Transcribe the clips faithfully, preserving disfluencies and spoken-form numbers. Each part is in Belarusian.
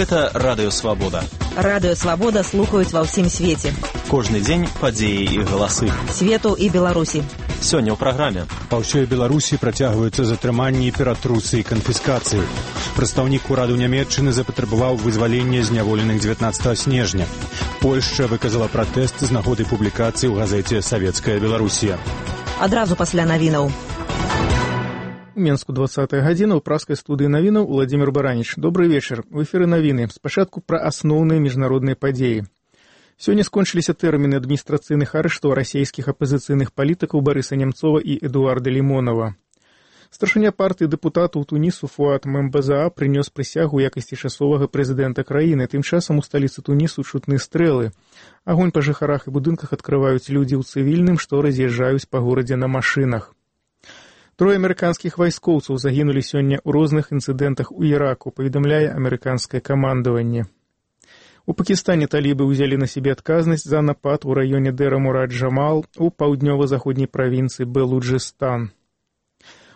Гэта Радыё Свабода. Радыё Свабода слухаюць ва ўсім свеце. Кожны дзень падзеі і галасы. Свету і Беларусі. Сёння ў праграме. Па ўсёй Беларусі працягваюцца затрыманні, ператрусы і канфіскацыі. Прадстаўнік ураду Нямецчыны запатрабаваў вызвалення зняволеных дзевятнаццатага снежня. Польшча выказала пратэст з нагоды публікацыі ў газеце «Савецкая Беларусія». Адразу пасля навінаў. У Менску двадцатая гадзіна, ў праскай студыі навінаў Владзімір Бараніч. Добрый вечар. В эфіры навіны. Спачатку пра асноўныя міжнародныя падзеі. Сёння скончыліся тэрміны адміністрацыйных арыштаў расійскіх апазіцыйных палітыкаў Барыса Нямцова і Эдуарда Лімонова. Старшыня партыі дэпутатаў Тунісу Фуад Мембазаа прынёс прысягу ў якасці часовага прэзідэнта краіны. Тым часам у сталіцы Тунісу чутны стрэлы. Агонь па жыхарах і будынках адкрываюць людзі ў цывільным, што раз'язджаюць па горадзе на машынах. Трое амерыканскіх вайскоўцаў загінулі сёння ў розных інцыдэнтах у Іраку, паведамляе амерыканскае камандаванне. У Пакістане талібы ўзялі на сябе адказнасць за напад у раёне Дэра-Мурад-Джамал у паўднёва-заходняй правінцыі Белуджыстан.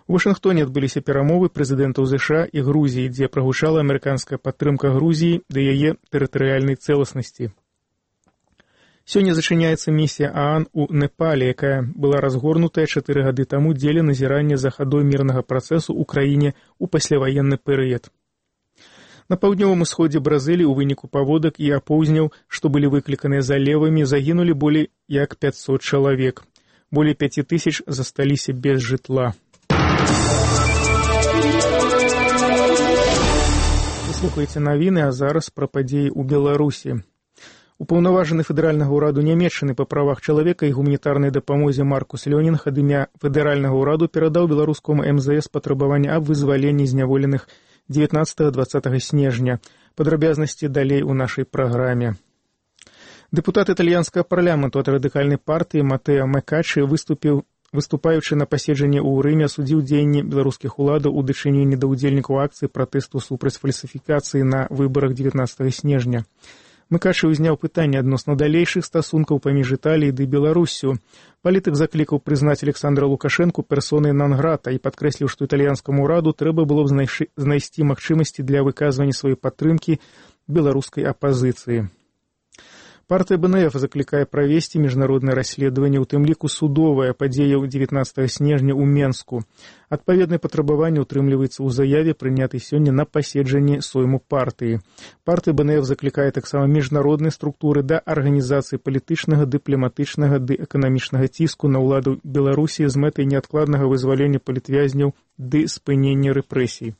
У Вашынгтоне адбыліся перамовы прэзідэнтаў ЗША і Грузіі, дзе прагучала амерыканская падтрымка Грузіі да яе тэрытарыяльнай цэласнасці. Сёння зачыняецца місія ААН у Непале, якая была разгорнутая чатыры гады таму дзеля назірання за хадой мірнага працэсу ў краіне ў пасляваенны перыяд. На паўднёвым усходзе Бразыліі ў выніку паводак і апоўзняў, што былі выкліканыя залевамі, загінулі болей як пяцьсот чалавек. Болей пяці тысяч засталіся без жытла. Вы слухаеце навіны, а зараз пра падзеі ў Беларусі. Упаўнаважаны федэральнага ўраду Нямецчыны па правах чалавека і гуманітарнай дапамозе Маркус Лёнінг ад імя федэральнага ўраду перадаў беларускаму эм зэ эс патрабаванне аб вызваленні зняволеных дзевятнаццатага-дваццатага снежня. Падрабязнасці далей у нашай праграме. Дэпутат італьянскага парламенту ад радыкальнай партыі Матэа Мекачы выступіў, выступаючы на паседжанні ў Рыме, асудзіў дзеянні беларускіх уладаў у дачыненні да ўдзельнікаў акцыі пратэсту супраць фальсіфікацыі на выбарах дзевятнаццатага снежня. Мекачы ўзняў пытанне адносна далейшых стасункаў паміж Італіяй ды Беларуссю. Палітык заклікаў прызнаць Александра Лукашэнку персонай нон-грата і падкрэсліў, што італьянскаму ўраду трэба было б знайсці магчымасці для выказвання сваёй падтрымкі беларускай апазіцыі. Партыя бэ эн эф заклікае правесці міжнароднае расследаванне, у тым ліку судовая падзея дзевятнаццатага снежня ў Менску. Адпаведнае патрабаванне ўтрымліваецца ў заяве, прынятай сёння на паседжанні сойму партыі. Партыя бэ эн эф заклікае таксама міжнародныя структуры да арганізацыі палітычнага, дыпламатычнага ды эканамічнага ціску на ўладу Беларусі з мэтай неадкладнага вызвалення палітвязняў ды спынення рэпрэсій.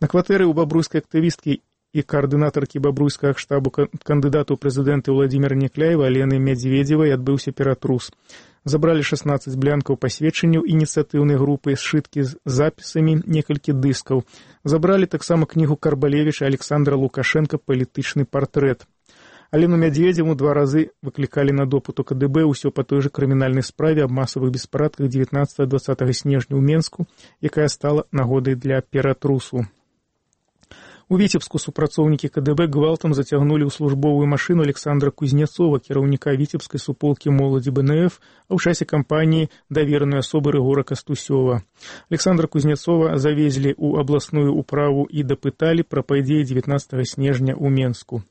На кватэры ў бабруйскай актывісткі і каардынатаркі бабруйскага штабу кандыдату ў прэзідэнты Владзіміра Някляева Алены Мядзведзевай адбыўся ператрус. Забралі шаснаццаць блянкаў пасведчанняў ініцыятыўнай групы, сшыткі з запісамі, некалькі дыскаў. Забралі таксама кнігу Карбалевіча Александра Лукашэнка «Палітычны партрэт». Алену Мядзведзеву два разы выклікалі на допыт у ка дэ бэ, ўсё па той жа крымінальнай справе аб масавых беспарадках дзевятнаццатага-дваццатага снежня ў Менску, якая стала нагодай для ператрусу. У Віцебску супрацоўнікі ка дэ бэ гвалтам зацягнулі ў службовую машыну Александра Кузнецова, кіраўніка віцебскай суполкі моладзі бэ эн эф, а ў часе кампаніі даверанай асобы Рыгора Кастусёва. Александра Кузнецова завезлі ў абласную ўправу і дапыталі пра падзеі дзевятнаццатага снежня ў Менску.